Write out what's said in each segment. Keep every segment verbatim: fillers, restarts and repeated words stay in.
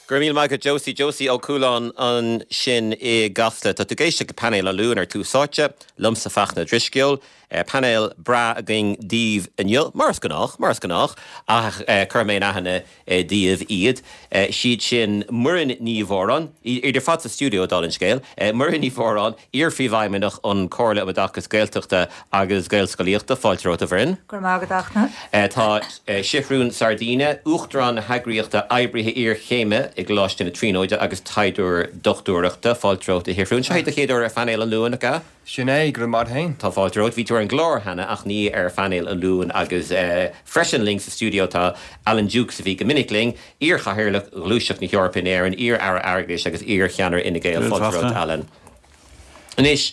Go raibh míle maith agat Josie Josie Ó Cualáin ansin i gCasla Tá tú ag éisteacht le painéal an Luain ar Tús Áite, liomsa Fachtna Drisceoil, painéal breá againn daoibh inniu, mar is gnách, mar is gnách, ach cuirfidh mé in aithne daoibh iad. Siad sin Muireann Ní Mhóráin, iad ar fad sa stiúideo dála an scéil, Muireann Ní Mhóráin, iar-phríomhfheidhmeannach an Chomhairle um Oideachas Gaeltachta agus Gaelscolaíochta, fáilte romhat a Mhuireann. Go raibh maith agat a Fhachtna. Tá Seathrún Sardina, Uachtarán na heagraíochta Oibrithe Iarchéime i gColáiste na Tríonóide agus taighdeoir dochtúireachta, fáilte romhat a Sheathrúin. Seo é do chéad uair ar phainéal an Luain, nach ea? Sin é, go raibh maith féin. Tá fáilte romhat, bhí tú ar an gclár cheana ach ní ar phainéal an Luain agus freisin linn sa stiúideo tá Alan Dukes a bhí go minic linn, iar-chathaoirleach Ghluaiseacht na hEorpa in Éirinn, iar-aire airgeadais agus iar-cheannaire Fhine Gael fáilte romhat Alan. Anois,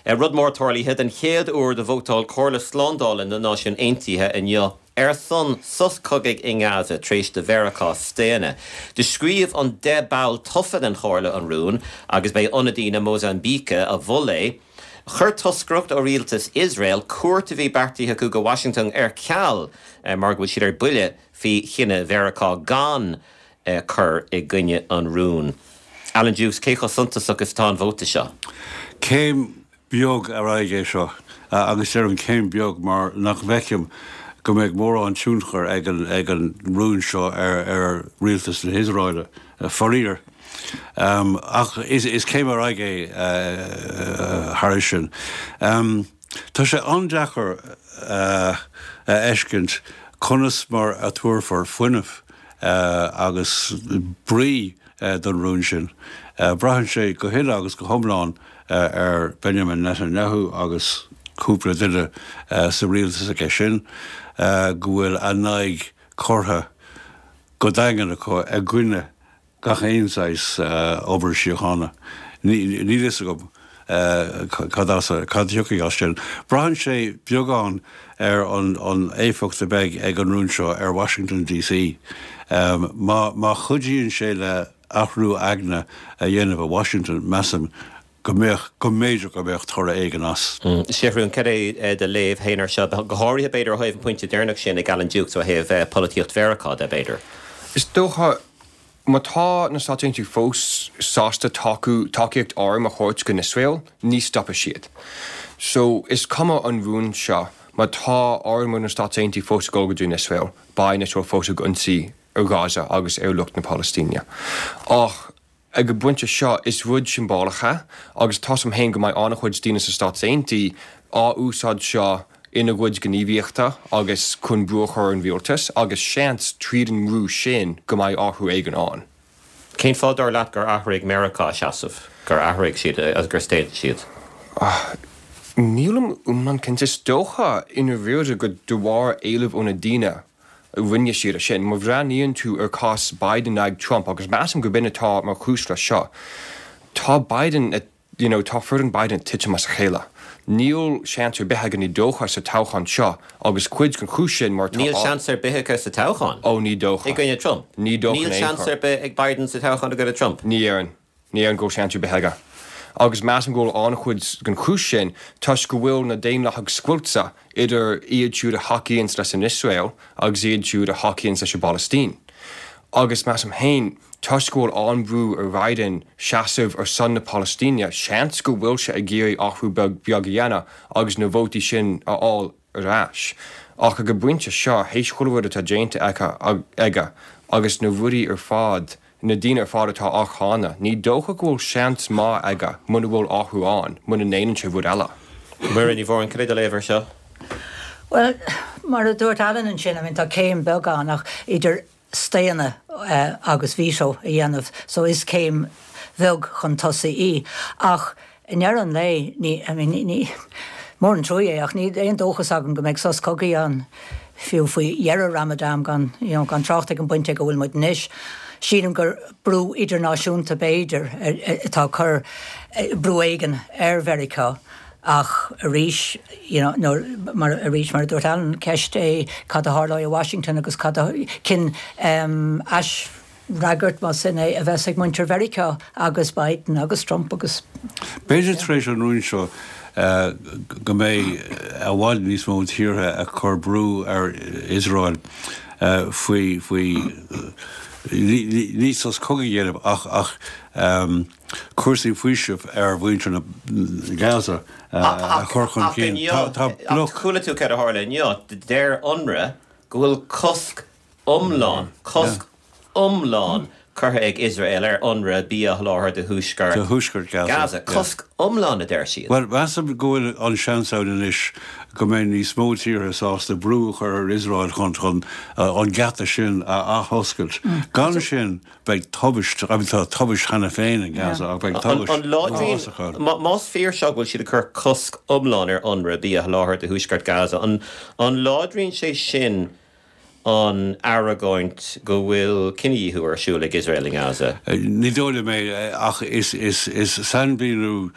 rud mór tarlaithe den chéad uair do vótáil Comhairle Slándála na Náisiún Aontaithe inniu ar son sos cogaidh i nGaza tar éis do Mheiriceá staonadh. Do scríobh an deich ball tofa den Chomhairle an rún agus b'é ionadaí na Mósaimbíce a mhol é. Chuir toscaireacht ó rialtas Iosrael cuairt a bhí beartaithe acu go Washington ar ceal mar go bhfuil siad ar buile faoi chinneadh Mheiriceá gan cur i gcoinne an rúin. Alan Dukes, cé chomh suntasach is atá an vóta seo? Céim beag ar aghaidh é seo agus deirim céim beag mar nach bhfeicim go mbeidh mórán tionchar ag an ag an rún seo ar ar rialtas na hIosraeile faraor. Um, ach is, is céim ar aghaidh é uh, thar sin. Um, tá sé an-deacair uh, a fheiscint conas mar a tabharfar fuinneamh uh, agus brí uh, don rún sin. Uh, Braitheann sé go huile agus go hiomlán uh, ar Benjamin Netanyahu agus cúpla duine uh, sa rialtas aige sin uh, go bhfuil a n-aghaidh curtha go daingean acu i gcoinne gach aon saghas uh, obair síochána. Níl a fhios agam uh, cad cad thiocfaidh as sin. Braitheann sé beagán ar an, an éifeacht a bheidh ag an rún seo ar Washington DC. Um, má, má chuidíonn sé le athrú aigne a dhéanamh i Washington measaim go mbeadh go mb'fhéidir go mbeadh toradh éigin as. Mm. Seathrún cad é do léamh féin air seo go háirithe b'fhéidir ó thaobh an pointe deireanach sin ag Alan Dukes ó thaobh polaitíocht Mheiriceá de b'fhéidir. Is dócha má tá na Stáit Aontaithe fós sásta tacú tacaíocht arm a thabhairt go Iosrael, ní stopfaidh siad. So is cuma an rún seo má tá arm na Stáit Aontaithe fós go go dtí Iosrael, beidh Iosrael fós ag ionsaí ar Gaza agus ar lucht na Palaistíne. Ach ag an bpointe seo is rud siombalach é agus tá sem féin go mbeidh an-chuid daoine sa Stáit Aontaithe á úsáid seo ina gcuid gníomhaíochta agus chun brú a chur an rialtas agus seans tríd an mbrú sin go mbeidh athrú éigin ann. Cén fáth dar leat gur athraigh Meiriceá seasamh gur athraigh siad agus gur staon siad? Nílim iomlán cinnte is dócha ina bhriide go de bharr éileamh ó na daoine rinne siad sin, má bhreathnaíonn tú ar cás Biden ag Trump agus measaim go b'in atá mar chúis le seo. Tá Biden you know, tá foireann Biden titim as a chéile. Níl seans ar bith aige ní dócha sa toghchán seo agus cuid den chúis sin mar Níl seans ar bith aige sa toghchán. ó ní dócha. I gcoinne Trump. Ní dócha Níl seans ar bith ag Biden sa toghchán i gcoinne Trump. Ní dhéarfainn ní dhéarfainn go seans ar bith aige. Agus measaim go bhfuil an-chuid den chúis sin toisc go bhfuil na daonlathaigh scoilte idir iad siúd a thacaíonn leis an Iosrael agus iad siúd a thacaíonn leis an bPalaistín. Agus measaim féin toisc go bhfuil an-bhrú ar Biden seasamh ar son na Palaistíne, seans go bhfuil sé ag iarraidh athrú beag beag a dhéanamh agus na vótaí sin a fháil ar ais. Ach ag an bpointe seo théis chuile rud atá déanta aige agus na rudaí ar fad na daoine ar fad atá á cháineadh, ní dócha go bhfuil seans maith aige muna bhfuil athrú ann, muna ndéanann sé rud eile. Muireann Ní Mhóráin cad é do léamh air seo? Well, mar a dúirt Alan ansin, I mean, tá céim beag ann ach idir staonadh uh, agus veto a dhéanamh, so is céim bheag chun tosaigh í. Ach i ndeireadh an lae ní I mean, ní, ní mór an trua é ach ní aon dóchas agam go mbeidh sos cogaidh ann fiú faoi dheireadh Ramadan gan you know, gan trácht ag an bpointe go bhfuil muid anois. Sílim gur brú idirnáisiúnta b'fhéidir atá cur brú éigin ar Mheiriceá ach arís you know, no, mar arís mar dúirt Alan ceist é cad a tharlóidh i Washington agus cad a cin um, aisfhreagairt mar sin é a bheas ag muintir Mheiriceá agus Biden agus Trump agus B'fhéidir tar éis an rún seo uh, go mbeidh i bhfad níos mó tíortha ag cur brú ar Iosrael faoi faoi ní sos cogaidh a dhéanamh ach ach cúrsaí faoisimh ar mhuintir na Gaza a chur chun cinn. Tá bloc. Chuala tú céard a tharla inniu, deir UNRWA go bhfuil cosc iomlán, cosc iomlán curtha ag Iosrael ar UNRWA bia a sholáthar do thuaisceart Do thuaisceart Gaza. Gaza. Cosc iomlán a deir siad. Bhuel, measaim go bhfuil an seans ann anois go mbeidh níos mó tíortha sásta brú a chur ar Iosrael chun chun an geata sin a athoscailt. Gan sin, beidh tubaist, I mean tá tubaist cheana féin in Gaza ach beidh tubaist An láidríonn, uafásach ann. Más fíor seo go bhfuil siad ag cur cosc iomlán ar UNRWA bia a sholáthar do thuaisceart Gaza, an an láidríonn sé sin an argóint go bhfuil cinedhíothú ar siúl ag Iosrael i nGaza? Ní dóigh liom é, ach is is sainmhíniú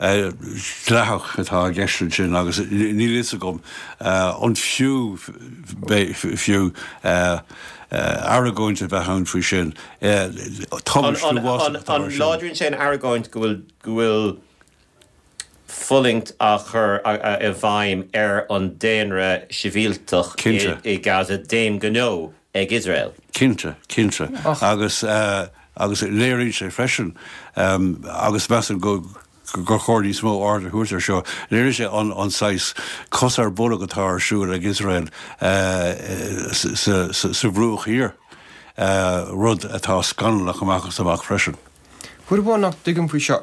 dleathach atá i gceist ansin agus níl fhios agam an fiú fiú argóint a bheith ann faoi sin. Tubaist uafásach atá An ar siúl. láidríonn sé an argóint go bhfuil go bhfuil fulaingt á chur i bhfeidhm ar an daonra sibhialtach Cinnte. i Gaza d'aon ghnó ag Iosrael? Cinnte, cinnte. Agus agus léiríonn sé freisin, agus measaim go gur chóir níos mó aird a thabhairt air seo, léiríonn sé an an saghas cos ar bolg atá ar siúl ag Iosrael sa sa Bhruach Thiar, rud atá scannalach amach is amach freisin. Rud amháin nach dtuigim faoi seo,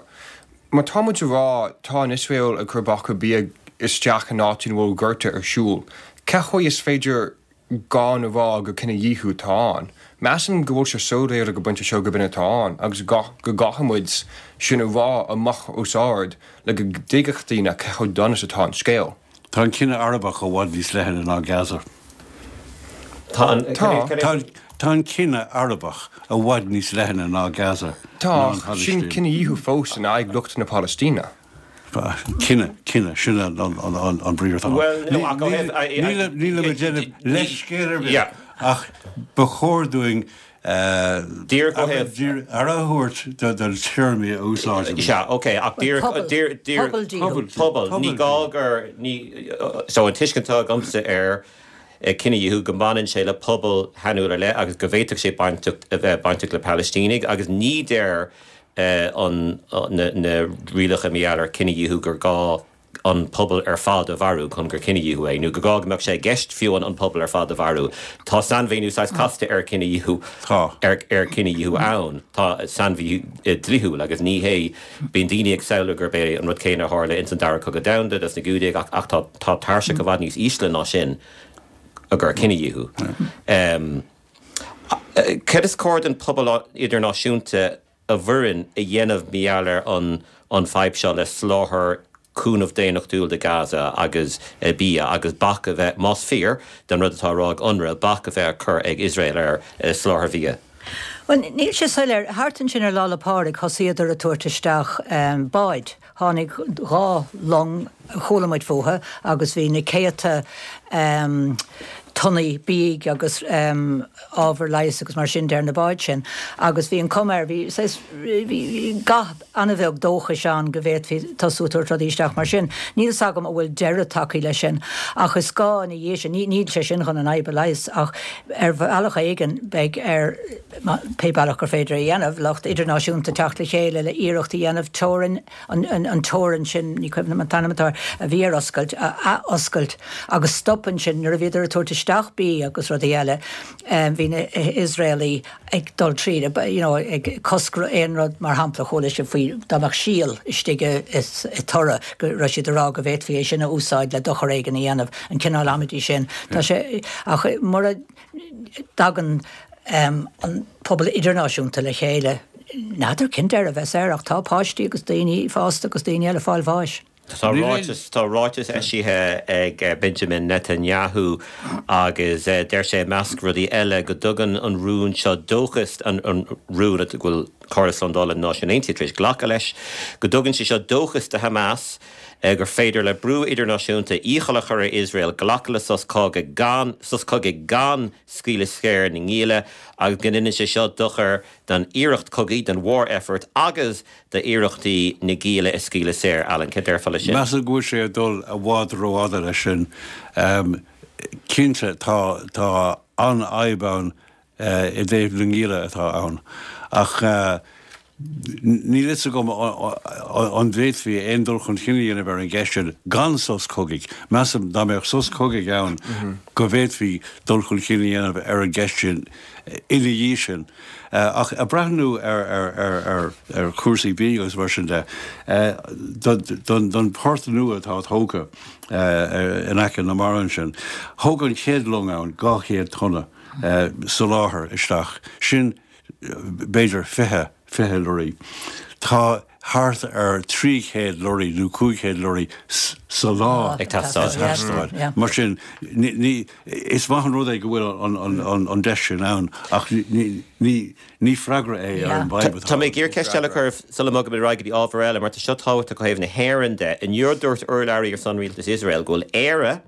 má tá muid a rá tá an Iosrael ag cur bac ar bia isteach in áit ina bhfuil gorta ar siúl, cén chaoi is féidir gan a rá gur cinedhíothú atá ann? Measaim go bhfuil sé soiléir ag an bpointe seo gurb in atá ann agus go gcaithfidh muid sin a rá amach os ard le go dtuigfeadh daoine cé chomh dona is atá an scéal. Tá an cine Arabach i bhfad níos leithne ná Gaza. Tá an Tá. Tá tá an cine Arabach i bhfad níos leithne ná Gaza, Tá, ná an ach sin Phalaistín. cinedhíothú fós in aghaidh lucht na Palaistíne. Cine, cine, sin an an an an briathar atá ann. Bhuel, no, ach ó thaobh- I- I- Níl nílim ag déanamh leithscéal ar bith, Yeah. ach ba chóir dúinn Díreach ó thaobh- aire a thabhairt do do téarmaí a úsáidimid. Sea, ok, ach díreach Pobal. díreach díreach Pobal díothú. pobal. Ní Pobal gá gur ní so an tuiscint atá agamsa ar cinedhíothú go mbaineann sé le pobal shainiúil ar leith agus go bhféadfadh sé bainteach a bheith bainteach le Palaistínigh agus ní deir an na na rialacha mar gheall ar cinedhíothú gur gá an pobal ar fad a mharú chun gur cinedhíothú é, nó gur gá go mbeadh sé i gceist fiú an an pobal ar fad a mharú. Tá sainmhíniú saghas casta ar cinedhíothú Tá. ar ar cinedhíothú ann. Tá sainmhíniú dlíthiúil agus ní hé bíonn daoine ag samhlú gurb é an rud céanna a tharla ins an dara cogadh domhanda dos na Giúdaigh ach ach tá tá tairseach i bhfad níos ísle ná sin a gur cinedhíothú. Um, Cad is cóir don pobal idirnáisiúnta a bhfoireann a dhéanamh mar gheall ar an an fadhb seo le soláthar cúnamh daonnachtúil do Gaza agus bia agus bac a bheith, más fíor don rud atá á rá ag UNRWA, bac a bheith á cur ag Iosrael ar soláthar bhia? Bhuel, níl sé soiléir. Thart ansin ar Lá 'le Pádraig thosaíodar ag tabhairt isteach báid. Tháinig dhá long, chuala muid fúthu, agus bhí na céadta tonnaí bídh agus ábhar leighis agus mar sin de ar na báid sin. Agus bhí an cuma air, bhí saghas, bhí gath an-bheag dóchais ann go bhféadfaí tosú ag tabhairt rudaí isteach mar sin. Níl fhios agam an bhfuil deireadh tagtha leis sin, ach is gá ina dhiaidh sin, níl sé sin chun an fhadhb a leigheas, ach ar bhealach éigin beidh ar, pé bealach gur féidir a dhéanamh, lucht idirnáisiúnta teacht le chéile le iarracht a dhéanamh teorainn, an teorainn sin, ní cuimhin liom an t-ainm atá air, a bhí ar oscailt, a athoscailt agus stop ansin nuair a bhíodar ag tabhairt isteach bídh agus rudaí eile, bhí na hIosraelaigh ag dul tríd, you know, ag cosc aon rud, mar shampla, chuala sibh faoi dá mbeadh síol istigh i toradh, go raibh siad ag rá go bhféadfaí é sin a úsáid le dochar éigin a dhéanamh, an cineál amaidí sin. Tá sé, ach mura dtagann an pobal idirnáisiúnta le chéile, n'fheadar cén deireadh a bheas air, ach tá páistí agus daoine fásta agus daoine eile ag fáil bháis. Tá ráiteas tá ráiteas eisithe ag Benjamin Netanyahu agus deir sé i measc rudaí eile go dtugann an rún seo dóchas, an rún go bhfuil Comhairle Slándála na Náisiún Aontaithe tar éis glacadh leis, go dtugann sé seo dóchas do Hamas gur féidir le brú idirnáisiúnta iachall a chur ar Iosrael glacadh le sos cogaidh gan sos cogaidh gan scaoileadh saor na ngialla agus go ndéanann sé seo dochar don iarracht cogaidh, don war effort agus d'iarrachtaí na gialla a scaoileadh saor. Alan, cad déarfá leis sin? Measaim go bhfuil sé ag dul i bhfad rófhada leis sin. Cinnte tá tá an-fhadhb ann i dtaobh na ngialla atá ann ach níl fhios agam an bhféadfaí aon dul chun cinn a dhéanamh ar an gceist sin gan sos cogaidh. Measaim dá mbeadh sos cogaidh ann go bhféadfaí dul chun cinn a dhéanamh ar an gceist sin ina dhiaidh sin. Ach ag breathnú ar ar chúrsaí bídh agus mar sin de, don port nua atá tógtha in aice na mara ansin, thóg an chéad long ann dhá chéad tonna soláthair isteach, sin b'fhéidir fiche, fiche lorraí. Tá thart ar trí chéad lorraí nó cúig chéad lorraí sa lá ag teastáil. Mar sin, ní, is maith an rud é go bhfuil an deis sin ann ach ní freagra é ar an bhfadhb atá. Tá mé ag iarraidh ceist eile a chur sula mbogaimid ar aghaidh go dtí ábhar eile mar tá seo tábhachtach ó thaobh na hÉireann de. Inniu dúirt urlabhraí ar son rialtas Iosrael go bhfuil Éire,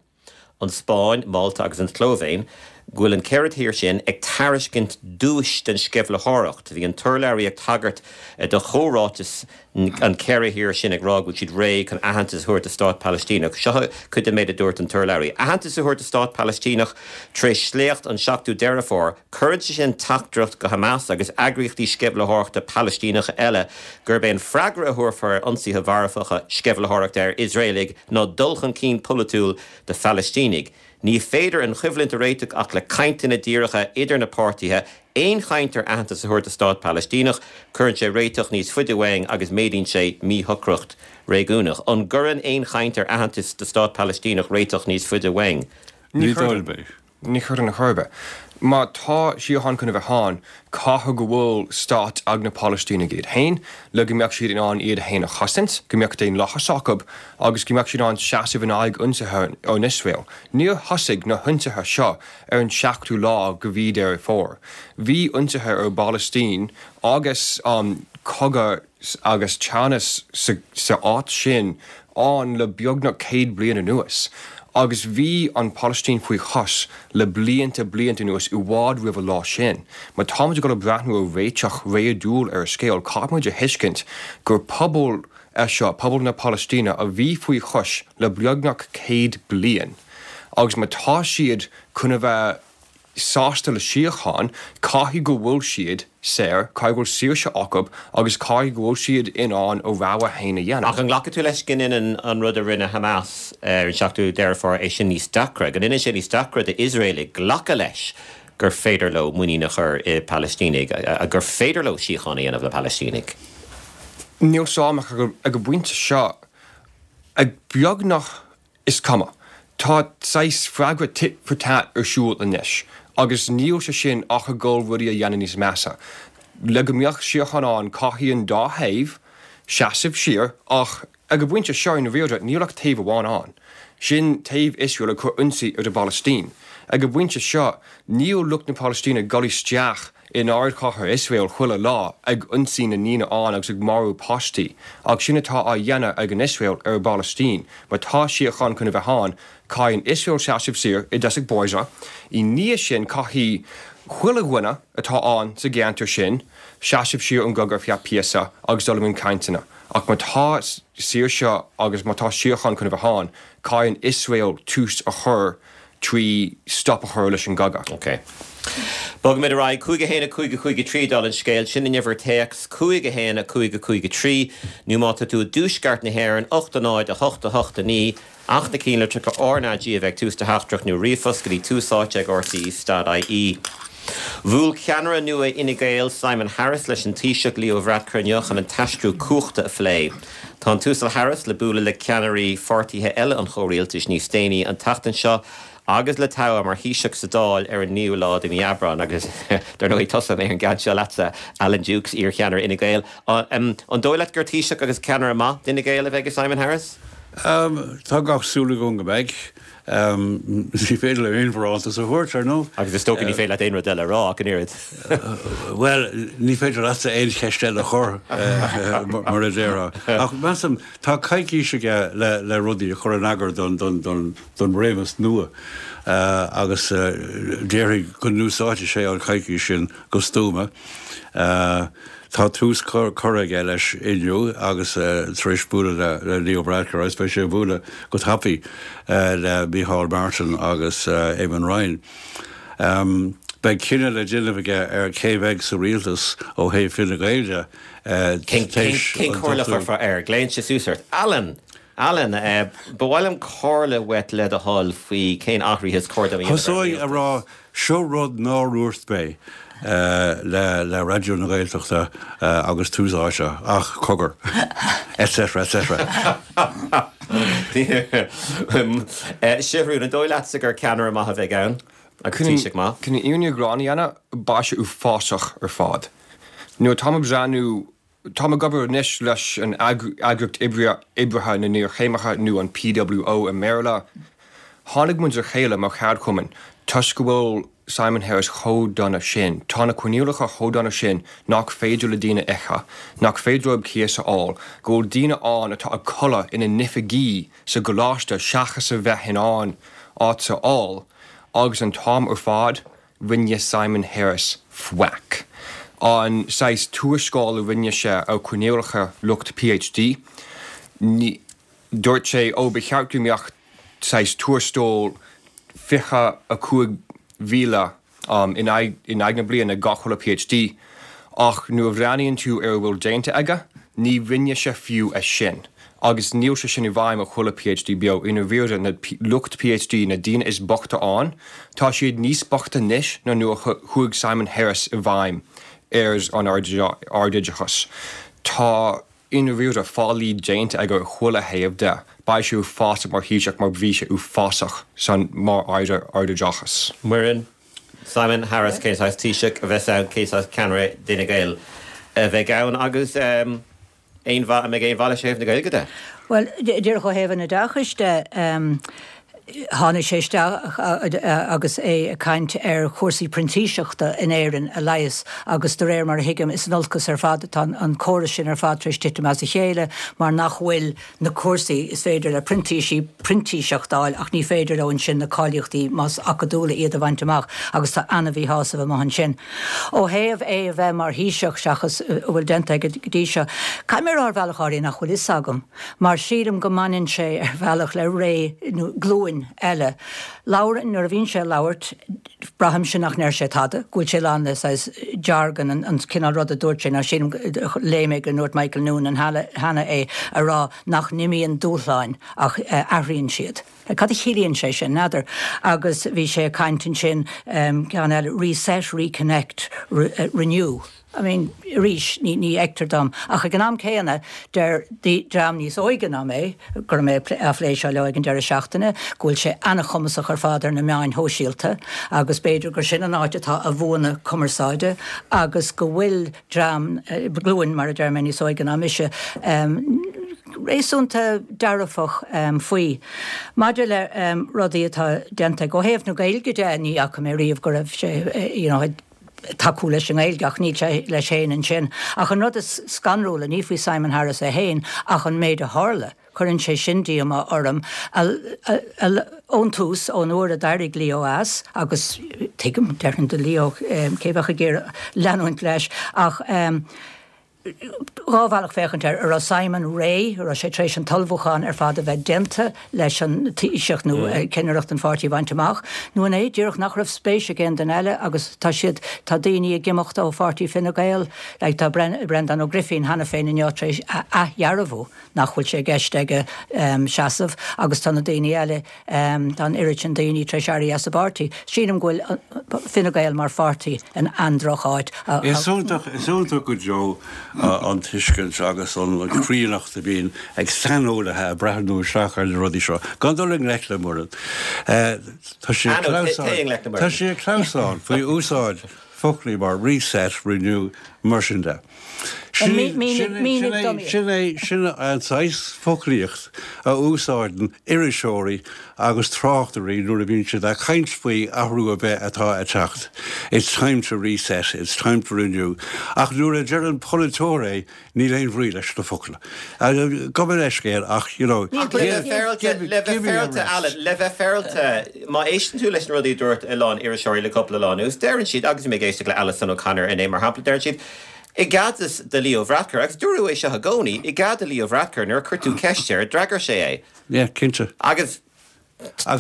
an Spáinn, Málta agus an tSlóivéin, go bhfuil an ceithre thír sin ag tairiscint duais don sceimhlitheoireacht. Bhí an t-urlabhraí ag tagairt do chomhráiteas an ceithre thír sin ag rá go bhfuil siad réidh chun aitheantas a thabhairt do stát Palaistíneach. Seo cuid den méid a dúirt an t-urlabhraí. Aitheantas a thabhairt do stát Palaistíneach tar éis sléacht an seachtú Deireadh Fómhair, cuireann sé sin teachtaireacht go Hamas agus eagraíochtaí sceimhlitheoireachta Palaistíneacha eile gurb é an freagra a thabharfar ar ionsaithe mharfacha sceimhlitheoireachta ar Iosraelaigh ná dul chun cinn polaitiúil do Phalaistínigh. Ní féidir an choimhlint a réiteach ach le cainteanna díreacha idir na páirtithe. Aon chaint ar aitheantas a thabhairt do stát Palaistíneach, cuireann sé réiteach níos faide uainn agus méadaíonn sé míshocracht réigiúnach. An gcuireann aon chaint ar aitheantas do stát Palaistíneach réiteach níos faide uainn? Ní dóigh liom. Ní chuireann ar chor ar bith. Má tá síocháin chun a bheith ann, caithfidh go bhfuil stát ag na Palaistínigh iad féin, le go mbeadh siad in ann iad féin a chosaint, go mbeadh daonlathas acu agus go mbeadh siad in ann seasamh in aghaidh ionsaithe ón Iosrael. Níor thosaigh na hionsaithe seo ar an seachtú lá de mhí Deireadh Fómhair. Bhí ionsaithe ar an bPalaistín agus cogadh agus teannas sa áit sin ann le beagnach céad bliain anuas. Agus bhí an Phalaistín faoi chois le blianta, blianta anuas, i bhfad roimh an lá sin. Má táimid ag dul ag breathnú ar réiteach réadúil ar an scéal, caithfimid a thuiscint gur pobal é seo, pobal na Palaistíne, a bhí faoi chois le beagnach céad bliain. Agus má tá siad chun a bheith sásta le síocháin, caithfidh go bhfuil siad saor, caithfidh go bhfuil saoirse acu agus caithfidh go bhfuil siad in ann a rogha féin a dhéanamh. Ach an nglacfaidh tú leis go ndéanann an rud a rinne Hamas ar an seachtú Deireadh Fómhair é sin níos deacra, go ndéanann sé níos deacra d'Iosraelaigh glacadh leis gur féidir leo muinín a chur i bPalaistínigh, gur féidir leo síocháin a dhéanamh le Palaistínigh? Níl 's a'm ach ag an bpointe seo, ag beagnach Is cuma. Tá saghas freagra tit for tat ar siúl anois agus níl sé sin ach ag dul rudaí a dhéanamh níos measa. Le go mbeadh síocháin ann caithfidh an dá thaobh seasamh siar ach ag an bpointe seo i ndáiríre níl ach taobh amháin ann. Sin taobh Iosrael ag cur ionsaí ar an bPalaistín. Ag an bpointe seo níl lucht na Palaistíne ag dul isteach in ardchathair Iosrael chuile lá ag ionsaí na ndaoine ann agus ag marú páistí, ach sin atá á dhéanamh ag an Iosrael ar an bPalaistín. Má tá síocháin chun a bheith ann, caithfidh an Iosrael seasamh siar i dtosach báire. I ndiaidh sin caithfidh chuile dhuine atá ann sa gceantar sin seasamh siar ón gcogadh ar feadh píosa agus dul i mbun cainteanna. Ach má tá saoirse agus má tá síocháin chun a bheith ann, caithfidh an Iosrael tús a chur trí stop a chur leis an gcogadh. Ok. Bogfaimid ar aghaidh. Cúig a haon a cúig a cúig a trí dála an scéil. Sin an uimhir téacs, cúig a haon a cúig a cúig a trí. Nó má tá tú i dtuaisceart na hÉireann, ocht a náid a hocht a hocht a naoi. Ach na cinnlitreacha RnaG a bheith ag tús do theachtaireacht nó ríomhphost go dtí tús áite ag rte stad ie. Bhuail ceannaire nua Fhine Gael, Simon Harris, leis an Taoiseach Leo Varadkar inniu chun an t-aistriú cumhachta a phlé. Tá an tUasal Harris le bualadh le ceannairí pháirtithe eile an chomhrialtais níos déanaí an tseachtain seo agus le toghadh mar Thaoiseach sa Dáil ar an naoú lá de mhí Aibreáin. Agus dar ndóigh tosóidh mé ar an gceann seo leatsa, Alan Dukes, iar-cheannaire Fhine Gael. An dóigh leat gur Taoiseach agus ceannaire maith d'Fhine Gael a bheidh i Simon Harris? Tá gach súil agam go mbeidh. Ní féidir liom aon bharántas a thabhairt, ar ndóigh. Agus is dócha ní féidir leat aon rud eile a rá ach an oiread. Bhuel, ní féidir leatsa aon cheist eile a chur, mar a déarfá. Ach measaim, tá coicís aige le rudaí a chur in eagar don réimeas nua. agus déarfainn go n-úsáidfidh sé an choicís sin go stuama. Tá tús curtha aige leis inniu agus tar éis bualadh le Leo Varadkar agus beidh sé ag bualadh go tapaidh le Micheál Martin agus Eamon Ryan. Beidh cinneadh le déanamh aige ar cé bheidh sa rialtas ó thaobh Fine Gael de. Cén chomhairle a chuirfeá air? Glaonn sé suas ort. Alan! Alan, ba mhaith liom comhairle uait le do thoil faoi cén athruithe is cóir dom a dhéanamh ar an Thosóinn rialtas. a rá, seo rud nár dhúirt mé le Raidió na Gaeltachta agus Tús Áite, ach cogar. Etc. Etc. Siobhrán, an dóigh leatsa gur ceannaire maith a bheidh ann? Agus Taoiseach maith. Chun an fhírinne ghlan a dhéanamh, beidh sé uafásach ar fad. Nuair atáim ag breathnú, táim ag obair anois leis an Eagraíocht Oibrithe na nIarchéimithe nó an PWO i mBéarla. Tháinig muid le chéile mar cheardchumann toisc go bhfuil Simon Harris chomh dona sin. Tá na coinníollacha chomh dona sin nach féidir le daoine ithe, nach féidir leo cíos a fháil, go bhfuil daoine ann atá ag codladh ina n-oifigí sa gcoláiste seachas a bheith in ann áit a fháil. Agus an t-am ar fad, rinne Simon Harris faic. An saghas tuarascáil a rinne sé ar choinníollacha lucht PhD, ní, dúirt sé, ó ba cheart go mbeadh saghas tuarastal fiche a cúig mhíle in aghaidh, in aghaidh na bliana ag gach uile PhD, ach nuair a bhreathnaíonn tú ar a bhfuil déanta aige, ní rinne sé fiú é sin. Agus níl sé sin i bhfeidhm ar chuile PhD beo. I ndáiríre, na lucht PhD, na daoine is boichte ann, tá siad níos boichte anois ná nuair a chuaigh Simon Harris i bhfeidhm ar an ardoideachas. Tá, i ndáiríre, faillí déanta aige ar chuile thaobh de. Beidh sé uafásach mar Thaoiseach mar bhí sé uafásach san mar Aire Ardoideachais. Muireann, Simon Harris, cén saghas Taoiseach a bheas ann, cén saghas ceannaire d'Fhine Gael a bheidh ann agus aon mhaith, an mbeidh aon mhaith leis ó thaobh na Gaeilge de? Bhuel, díreach ó thaobh an oideachais de, tháinig sé isteach agus é ag caint ar chúrsaí printíseachta in Éirinn a leigheas agus de réir mar a thuigim is in olcas ar fad atá an córas sin ar fad tar éis titim as a chéile mar nach bhfuil na cúrsaí is féidir le printísigh printíseacht a fháil ach ní féidir leo ansin na cáilíochtaí más acadúla iad a bhaint amach agus tá an-mhíshásamh amuigh ansin. Ó thaobh é a bheith mar Thaoiseach seachas a bhfuil déanta aige go dtí seo, caithfidh mé a rá ar bhealach áirithe nach bhfuil fhios agam mar sílim go mbaineann sé ar bhealach le ré nó glúin eile. Labhair, nuair a bhíonn sé ag labhairt, braithimse nach ndeir sé tada, go bhfuil sé lán le saghas jargon, an cineál rud a dúirt sé, nó sílim, léigh mé go ndúirt Michael Noonan cheana é, a rá nach n-imíonn dúshláin ach athraíonn siad. Cad a chiallaíonn sé sin? N'fheadar. Agus bhí sé ag caint ansin, ceann eile, reset, reconnect, renew. I mean, arís, ní ní fheictear dom. Ach ag an am céanna, deir dream níos óige ná mé, go raibh mé á phlé seo leo ag an deireadh seachtaine, go bhfuil sé an-chumasach ar fad ar na meáin shóisialta agus b'fhéidir gur sin an áit atá a bhuanna cumarsáide agus go bhfuil dream, glúin, mar a deir mé, níos óige ná mise, réasúnta dearfach faoi. Maidir le rudaí atá déanta aige ó thaobh na Gaeilge de, ní fhaca mé riamh go raibh sé, you know, tacú leis an nGaeilge ach níl sé leis féin ansin. Ach an rud is scanrúla, ní faoi Simon Harris é féin ach an méid a tharla, cuireann sé sin díomá orm. Ón tús, ón uair a d'éirigh Leo as, agus tuigim, déarfainn do Leo, cé bheadh ag iarraidh leanúint leis, ach dhá bhealach féachaint air, an raibh Simon réidh, an raibh sé tar éis an t-ullmhúchán ar fad a bheith déanta leis an Taoiseach nó cinnireacht an pháirtí a bhaint amach, nó an é díreach nach raibh spéis ag aon duine eile agus tá siad, tá daoine ag imeacht ó pháirtí Fine Gael, like tá Breandán Ó Grifín cheana féin inniu tar éis a athdhearbhú nach bhfuil sé i gceist aige seasamh agus tá na daoine eile, tá an oiread sin daoine tar éis éirí as an bpáirtí. Sílim go bhfuil Fine Gael mar pháirtí in an-droch-áit. Is iontach, is iontach go deo an tuiscint agus an chríonnacht a bhíonn ag saineolaithe ag breathnú isteach ar na rudaí seo, gan dul i ngleic le Muireann. Tá sé tá sé ag clamhsán faoi úsáid foclaí mar reset, renew, mar sin de. Sin é sin an saghas foclaíocht a úsáideann iriseoirí agus tráchtairí nuair a bhíonn siad ag caint faoi athrú ar bith atá ag teacht. It's time to reset, it's time to renew. Ach nuair a deir an polaiteoir é níl aon bhrí leis na focla. Gabh mo leithscéal ach you know, le bheith féaráilte Alan, le bheith féaráilte má éisteann tú leis na rudaí a dúirt a lán iriseoirí le cúpla lá anuas, deireann siad agus mé ag éisteacht le Alison O'Connor inné mar shampla, deireann siad I gcás de Leo Varadkar, agus dúradh é seo i gcónaí, i gcás de Leo Varadkar nuair a chuir tú ceist air, d'fhreagair sé é. Yeah, cinnte. Agus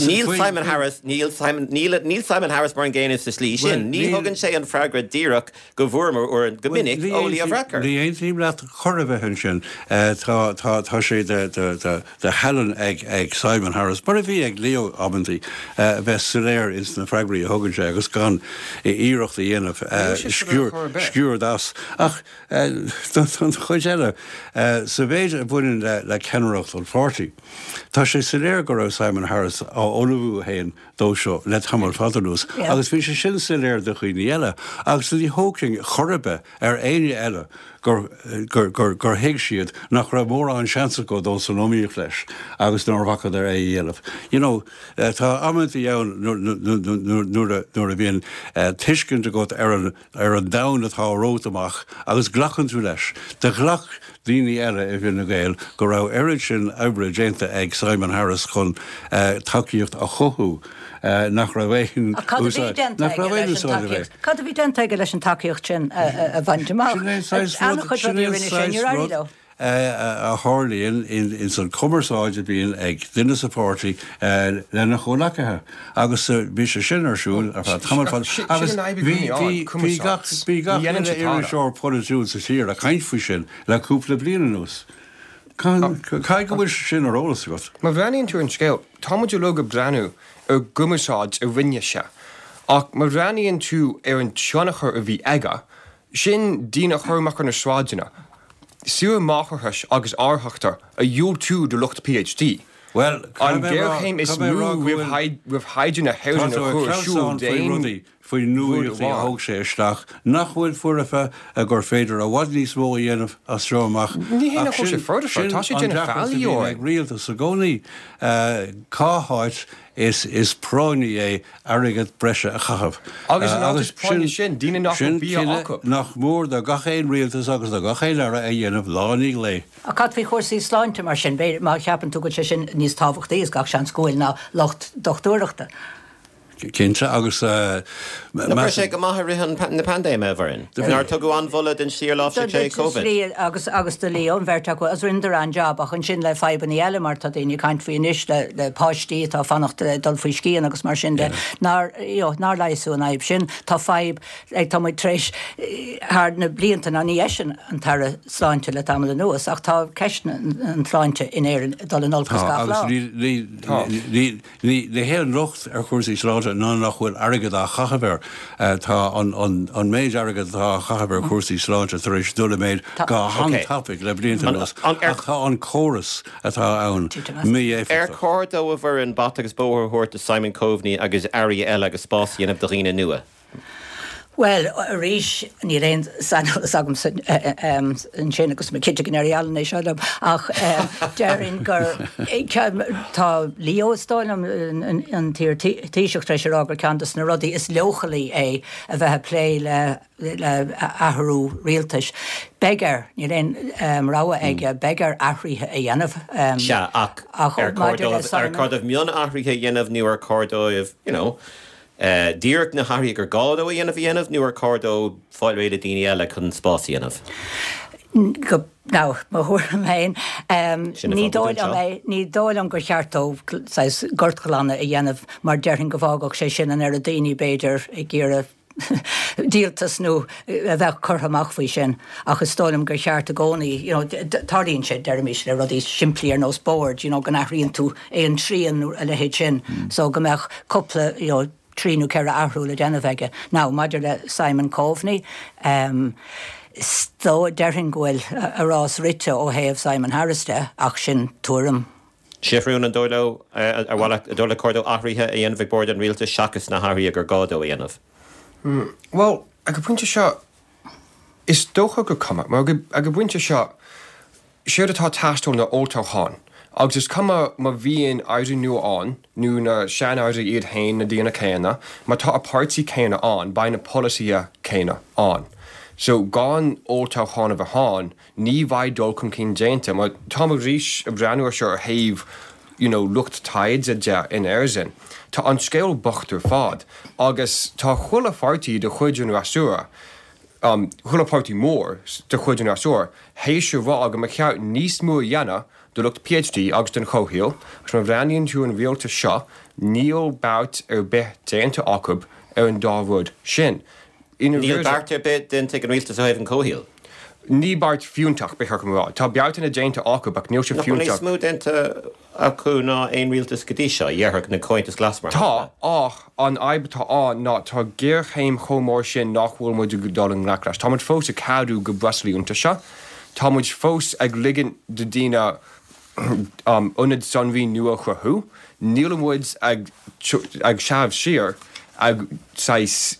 níl Simon Harris, níl Simon, níl, níl Simon Harris mar an gcéanna sa slí sin. Ní thugann sé an freagra díreach go bhfuaireamar go minic ó Leo Varadkar. Ní aontaím leat chor ar bith ansin. Tá tá tá sé de de de de thallann ag ag Simon Harris, mar a bhí ag Leo amantaí bheith soiléir ins na freagraí a thugann sé agus gan iarracht a dhéanamh sciúrd as. Ach don chuid eile sa mhéid a bhaineann le le ceannaireacht an pháirtí. Tá sé soiléir go raibh Simon Harris á ullmhú féin dó seo le tamall fada anuas, agus bhí sé sin soiléir do dhaoine eile, agus ní thógfainn chor ar bith ar éinne eile gur gur gur gur thuig siad nach raibh mórán seans acu dul san iomaíocht leis agus nár bhacadar é a dhéanamh. You know, tá amantaí ann nuair nuair a bhíonn tuiscint agat ar an ar an domhan atá romhat amach agus glacann tú leis. Do ghlac daoine eile i bhFine Gael go raibh oiread sin oibre déanta ag Simon Harris chun tacaíocht a chothú nach raibh aon nach raibh aon úsáid é. Cad a bhí déanta aige leis an tacaíocht sin a bhaint amach? Sin a tharlaíonn in san cumarsáid a bhíonn ag duine sa pháirtí lena chomhleacaithe agus bhí sé sin ar siúl ar feadh tamall fada agus bhí gach bhí gach iriseoir polaitiúil sa tír ag caint faoi sin le cúpla bliain anuas. Caithfidh go bhfuil sé sin ar eolas agat. Má bhreathnaíonn tú ar an scéal, tá muid uilig ag breathnú ar an gcumarsáid a rinne sé, ach má bhreathnaíonn tú ar an tionchar a bhí aige, sin daoine a chur amach ar na sráideanna, saoire máithreachais agus árthachta a dhiúltú do lucht PhD. Bhuel, An ghéarchéim is mó roimh thaighde na hÉireann a chur ar siúl d'aon faoi nuaíochtaí a thóg sé isteach nach bhfuil foirfe gur féidir i bhfad níos mó a dhéanamh as seo amach. Ní hé nach bhfuil sé foirfe, tá sé déanamh faillí orainn. Ag rialtas i gcónaí cá háit is is práinní é airgead breise a chaitheamh. Agus an áit is práinní sin, daoine nach bhfuil bia acu. Nach mór do gach aon rialtas agus do gach aon aire a dhéanamh lá i ndiaidh lae. Ach cad faoi chúrsaí sláinte mar sin, b'fhéidir, má cheapann tú go bhfuil sé sin níos tábhachtaí, is gach seans go bhfuil, ná lucht dochtúireachta? Cinnte, agus Nach raibh sé go maith i rith na paindéime, a Mhuireann? Nár tugadh an-mholadh don tslí ar láimhsigh sé Covid? Slí agus agus do Leo, an bheirt acu, agus rinneadar an-jab, ach ansin le fadhbanna eile mar tá daoine ag caint faoi anois le le páistí atá ag fanacht le dul faoi scian agus mar sin de, nár you know nár leigheasadh an fhadhb sin. Tá fadhb ag tá muid tar éis thar na blianta, ná ní eisean an tAire Sláinte le tamall anuas, ach tá ceist an tsláinte in Éirinn ag dul in olcas Tá, gach lá. agus ní ní ní ní ní hé an locht ar chúrsaí sláinte ná nach bhfuil airgead á chaitheamh air. Tá an an an méid airgead atá á chaitheamh ar chúrsaí sláinte tar éis dul i méid go han-tapaidh le blianta anuas, ach tá an córas atá ann Ar mí-éifeachtach. chóir dó a Mhuireann bata agus bóthar a thabhairt do Simon Coveney agus airí eile agus spás a dhéanamh do dhaoine nua? Bhuel, arís, níl aon saineolas agamsa ansin agus mé cinnte go ndéarfaidh Alan é seo liom, ach déarfainn gur tá Leo, is dóigh liom, an t-iar-Taoiseach tar éis a rá gur ceann de na rudaí is leochailí é a bheith ag plé le le athrú rialtais. Beidh air, níl aon rogha aige, beidh air athruithe a dhéanamh. Sea, ach ar chóir dóibh, ar chóir dóibh mionathruithe a dhéanamh nó ar chóir dóibh, you know, díreach na hathruithe gur gá dó a dhéanamh a dhéanamh nó ar chóir dó fáil réidh le daoine eile chun spás a dhéanamh? Go, now, mo thuairim féin, ní dóigh liom é, ní dóigh liom gur cheart dó saghas gortghlanadh a dhéanamh mar déarfainn go bhfágfadh sé sin an oiread daoine, b'fhéidir, ag iarraidh díoltas nó a bheadh curtha amach faoi sin ach is dóigh liom gur cheart i gcónaí, you know, tarlaíonn sé, deirimis, le rudaí simplí ar nós boird, you know, go n-athraíonn tú aon trian nó a leithéid sin so go mbeadh cúpla, you know, trí nó ceithre athrú le déanamh aige. Now, maidir le Simon Coveney, um, is dóigh, déarfainn go bhfuil a rás rite ó thaobh Simon Harris de ach sin tuairim. Seathrún, an dóigh leo, ar mhaith leat, an dóigh leat gur chóir dó athruithe a dhéanamh ag bord an rialtais seachas na hathruithe gur gá dó a dhéanamh? Bhuel, ag an bpointe seo, Is dócha gur cuma, mar ag an bpointe seo, séard atá ag teastáil ná olltoghchán, agus is cuma má bhíonn airí nua ann nó na sean-airí iad féin, na daoine céanna, má tá an páirtí céanna ann, beidh na polasaithe céanna ann. So gan olltoghchán a bheith ann, ní bheidh dul chun cinn déanta, mar táim arís ag breathnú air seo ar thaobh you know lucht taighde de in Éirinn. Tá an scéal bocht ar fad agus tá chuile pháirtí de chuid an fhreasúra, um, chuile pháirtí mór de chuid an fhreasúra, théis a rá go mba cheart níos mó a dhéanamh do lucht PhD agus don chomhshaol, agus má bhreathnaíonn tú an rialtas seo, níl beart ar bith déanta acu ar an dá rud sin. Níl beart ar bith déanta ag an rialtas ó thaobh an chomhshaoil? Ní beart fiúntach, ba cheart dom a rá. Tá beartanna déanta acu ach níl sé Nach bhfuil níos fiúntach. mó déanta acu ná aon rialtas go dtí seo, déarfadh na Comhaontas Glas mar Tá, shampla? ach an fhadhb atá ann ná tá géarchéim chomh mór sin nach bhfuil muid ag dul i ngleic leis. Tá muid fós ag ceadú go breoslaí iontaise. Tá muid fós ag ligean do daoine um, ionaid sonraí nua a chruthú. Níl muid ag, ag seasamh siar ag saghas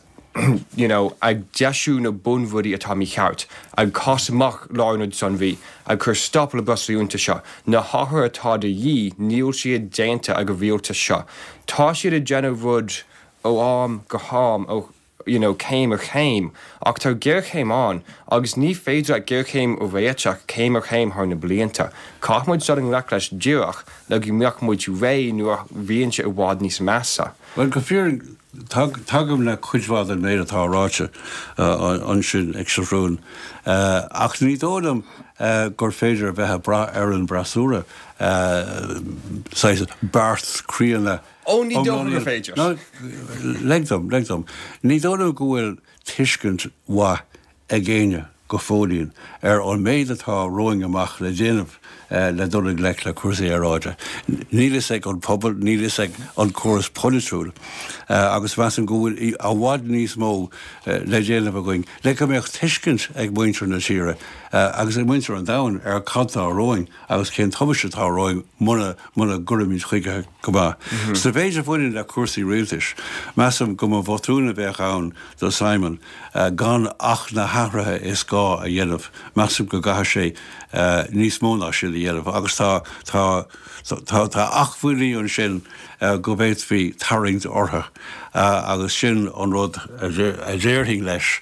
you know, ag deisiú na bunrudaí atá mícheart, ag cás amach lárionad sonraí, ag cur stop le breoslaí iontaise. Na hathruithe atá de dhíth, níl siad déanta ag an rialtas seo. Tá siad ag déanamh rud ó am go ham, ó you know, céim ar chéim, ach tá géarchéim ann, agus ní féidir leat géarchéim a réiteach céim ar chéim thar na blianta. Caithfidh muid dul i ngleic leis díreach le go mbeadh muid réidh nuair a bhíonn sé i bhfad níos measa. Bhuel, go fíor tagaim le cuid mhaith den méid atá ráite ansin ag Seathrún, ach ní dóigh liom gur féidir a bheith ag brath ar an bhfreasúra saghas beart críonna. Ó, ní dóigh gur féidir. Lig dom, lig dom. Ní dóigh liom go bhfuil tuiscint mhaith ag éinne go fóillín ar an méid atá romhainn amach le déanamh le dul i ngleic le cúrsaí aeráide. Níl fhios ag an pobal, níl fhios ag an córas polaitiúil agus measaim go bhfuil i bhfad níos mó le déanamh againn le go mbeadh tuiscint ag muintir na tíre agus ag muintir an domhain ar cad tá romhainn agus cén tubaiste atá romhainn muna muna gcuirimid chuige go maith. Sa mhéid a bhaineann le cúrsaí rialtais, measaim go mba bhotún a bheadh ann do Simon gan ach na hathruithe is gá a dhéanamh. Measaim go gcaithfidh sé níos mó ná sin a dhéanamh agus tá tá tá tá acmhainní ansin go bhféadfaí tarraingt orthu agus sin an rud a déarfainn leis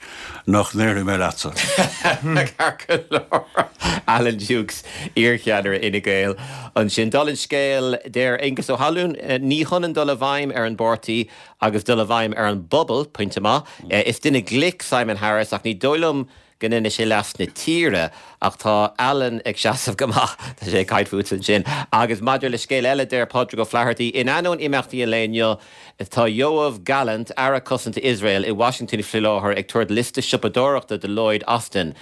nach ndéarfaidh mé leatsa. Ceart go leor. Alan Dukes, iarcheannaire Fhine Gael ansin. Dála an scéil, deir Aengus Ó hAlún, ní hionann dul i bhfeidhm ar an bpáirtí agus dul i bhfeidhm ar an bpobal, pointe maith. Is duine glic Simon Harris ach ní dóigh liom go ndéanfaidh sé leas na tíre ach tá Alan ag seasamh go maith, tá sé ag caint fút ansin. Agus maidir le scéal eile, deir Pádraig Ó Flathartaigh, in ainneoin imeachtaí an lae inniu, tá Yoav Gallant, Aire Cosanta Iosrael, i Washington faoi láthair ag tabhairt liosta siopadóireachta do Lloyd Austin,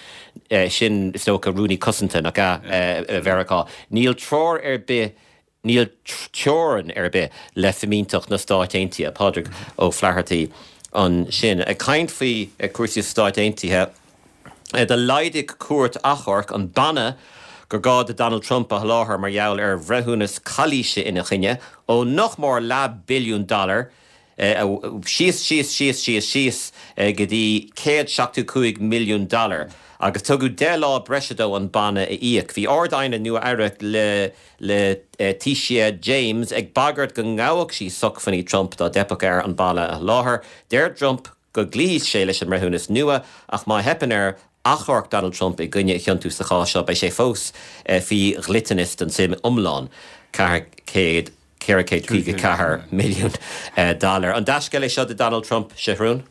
sin is dócha Rúnaí Cosanta, nach ea, Mheiriceá. Níl treoir ar bith Níl teorainn ar bith le fimínteacht na Stáit Aontaithe. Pádraig Ó Flathartaigh ansin. Ag caint faoi chúrsaí sna Stáit Aontaithe, do laghdaigh cúirt achomhairc an banna gur gá do Donald Trump a sholáthar mar gheall ar bhreithiúnas calaoise ina choinne ó nach mór leath billiún dollar síos, síos, síos, síos, síos go dtí céad seachtó cúig milliún dollar agus tugadh deich lá breise dó an banna a íoc. Bhí Ard-Aighne Nua-Eabhrac le Letitia James ag bagairt go ngabhfadh sí sócmhainní Trump dá dteipfeadh air an banna a sholáthar. Deir Trump go gcloífidh sé leis an mbreithiúnas nua ach má theipeann air achomharc Donald Trump i gcoinne a chiontú sa chás seo beidh sé fós faoi dhliteanas don tsuim iomlán, ceathair chéad ceithre chéad caoga ceathair milliún dollar. An dea-scéal é seo do Donald Trump, Seathrún?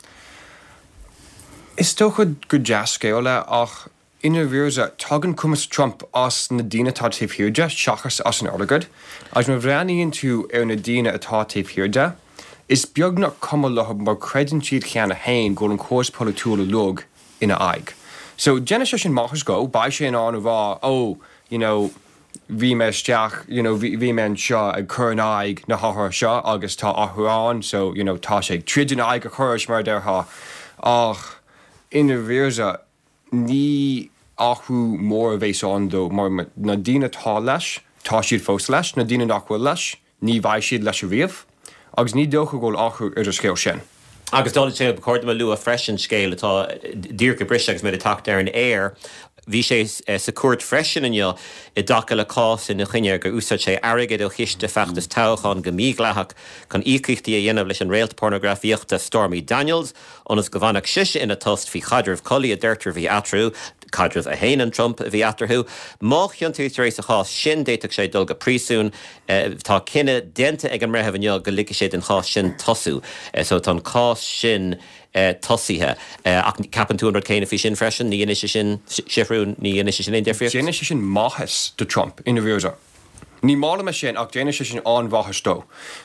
Is dócha gur dea-scéal é ach i ndáiríre tagann cumas Trump as na daoine atá taobh thiar de seachas as an airgead. Agus má bhreathnaíonn tú ar na daoine atá taobh thiar de, is beagnach cuma leo mar creideann siad cheana féin go bhfuil an córas polaitiúil uilig ina aghaidh. So déanfaidh sé sin maitheas dó, beidh sé in ann a rá oh, you know, bhí mé isteach, you know, bhí bhí mé anseo ag cur in aghaidh na hathruithe seo agus tá athrú ann so, you know, tá sé ag troid in aghaidh an chórais mar a déarfá. Ach i ndáiríre ní athrú mór a bheas ann dó mar na daoine atá leis, tá siad fós leis, na daoine nach bhfuil leis, ní bheidh siad leis ariamh agus ní dócha go bhfuil athrú ar an scéal sin. Agus dála sé ba chóir dom a lua freisin scéal atá díreach ag briseadh agus muid ag teacht ar an aer. Bhí sé sa chúirt freisin inniu i dtaca le cás ina choinne gur úsáid sé airgead ó chiste feachtas toghcháin go mídhleathach chun íocaíochtaí a dhéanamh leis an réalt pornagrafaíochta Stormy Daniels ionas go bhfanfadh sise ina tost faoi chaidreamh collaí a deirtear a bhí eatarthu, caidreamh a shéanann Trump a bhí eatarthu. Má chiontaítear é sa chás sin d'fhéadfadh sé dul go príosún. Tá cinneadh déanta ag an mbreitheamh inniu go ligfidh sé don chás sin tosú. So tá an cás sin tosaithe. Ach ceapann tú an rud céanna faoi sin freisin? Ní dhéanfaidh sé sin, Seathrún, ní dhéanfaidh sé sin aon difríocht? Déanfaidh sé sin maitheas do Trump i ndáiríre. Ní maith liom é sin ach déanfaidh sé sin an-mhaitheas dó.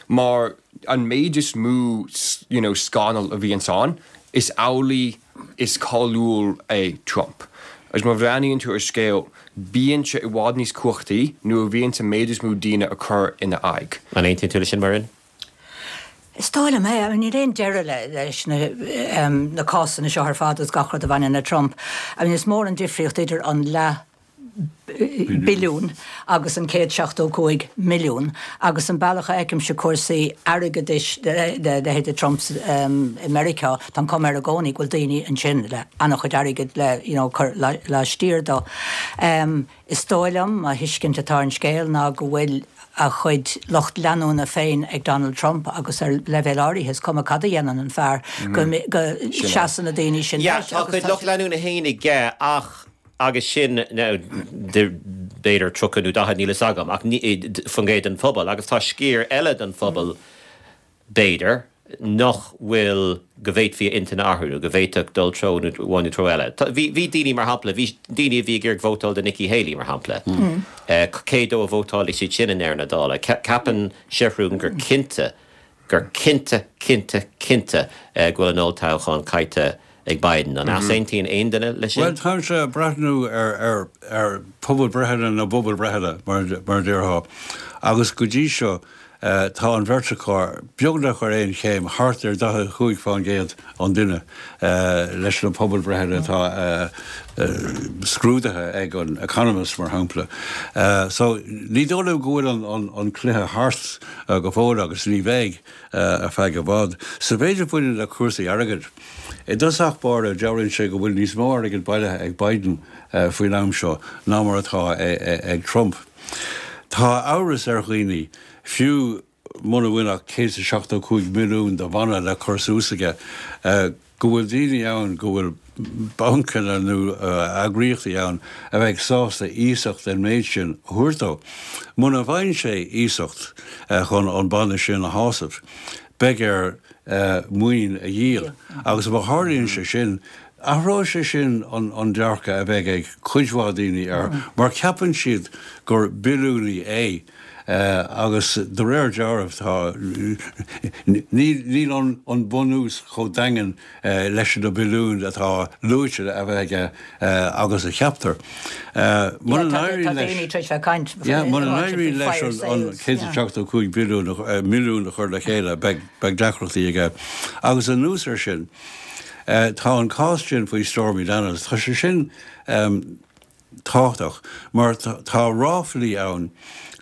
Mar an méid is mó you know, scannal a bhíonns ann, is amhlaidh is cáiliúil é Trump. Agus má bhreathnaíonn tú ar scéal, bíonn sé i bhfad níos cumhachtaí nuair a bhíonns an méid is mó daoine ag cur ina aghaidh. An aontaíonn tú leis sin, Muireann? Is dóigh liom é. Níl aon deireadh le leis na na cásanna seo ar fad agus gach rud a bhaineann le Trump. I mean, is mór an difríocht idir an leath billiún agus an céad seachtó cúig milliún agus an bealach a fheicimse cúrsaí airgeadais le leithéide Trump i Meiriceá, tá an cuma air i gcónaí go bhfuil daoine ansin le an-chuid airgid le you know cur laistiar dó. Is dóigh liom, mo thuiscint atá ar an scéal ná go bhfuil a chuid lucht leanúna féin ag Donald Trump agus ar leibhéal áirithe is cuma cad a dhéanann an fear go go seasann na daoine sin leis. Tá a chuid lucht leanúna féin aige ach agus sin now b'fhéidir tríocha nó daichead níl fhios agam ach faoin gcéad den phobal agus tá sciar eile den phobal b'fhéidir nach bhfuil go bhféadfaí a intinn a athrú nó go bhféadfadh dul treo amháin nó treo eile. Bhí bhí daoine mar shampla bhí daoine a bhí ag iarraidh vótáil do Nikki Haley mar shampla. Cé dó a vótálfaidh siad sin i ndeireadh na dála? Ceapann Seathrún gur cinnte gur cinnte cinnte cinnte go bhfuil an olltoghchán caillte ag Biden. An easaontaíonn aon duine leis sin? Bhuel, táimse ag breathnú ar ar ar pobalbhreitheanna na bpobalbhreitheanna, mar mar a déarfá, agus go dtí seo tá an bheirt acu beagnach ar aon chéim, thart ar daichead a cúig faoin gcéad an duine leis na pobalbhreitheanna atá scrúdaithe ag an Economist, mar shampla. So ní dóigh liom go bhfuil an an an cluiche thart go fóill agus ní bheidh ar feadh i bhfad. Sa mhéid a bhaineann le cúrsaí airgid, I dtosach báire, dealraíonn sé go bhfuil níos mó airgid bailithe ag Biden faoin am seo ná mar atá ag Trump. Tá amhras ar dhaoine, fiú muna bhfuil ach céad is seachtó cúig milliún de bhanna le cur suas aige, go bhfuil daoine ann, go bhfuil bancanna nó eagraíochtaí ann a bheidh sásta iasacht den méid sin a thabhairt dó. Muna bhfaigheann sé iasacht chun an banna sin a shásamh, beidh air maoin a dhíol agus má tharlaíonn sé sin, athróidh sé sin an dearcadh a bheidh ag cuid mhaith daoine air mar ceapann siad gur billiúnaí é agus de réir dealraimh tá, níl an bunús chomh daingean leis na billiúin atá luaite a bheith aige agus a cheaptar. Muna n-éiríonn leis, yeah, muna n-éiríonn leis an céad is seachtó cúig billiún, milliún a chur le chéile, beidh deacrachtaí aige. Agus anuas air sin, tá an cás sin faoi Stormy Daniels, tá sé sin tábhachtach mar tá ráflaí ann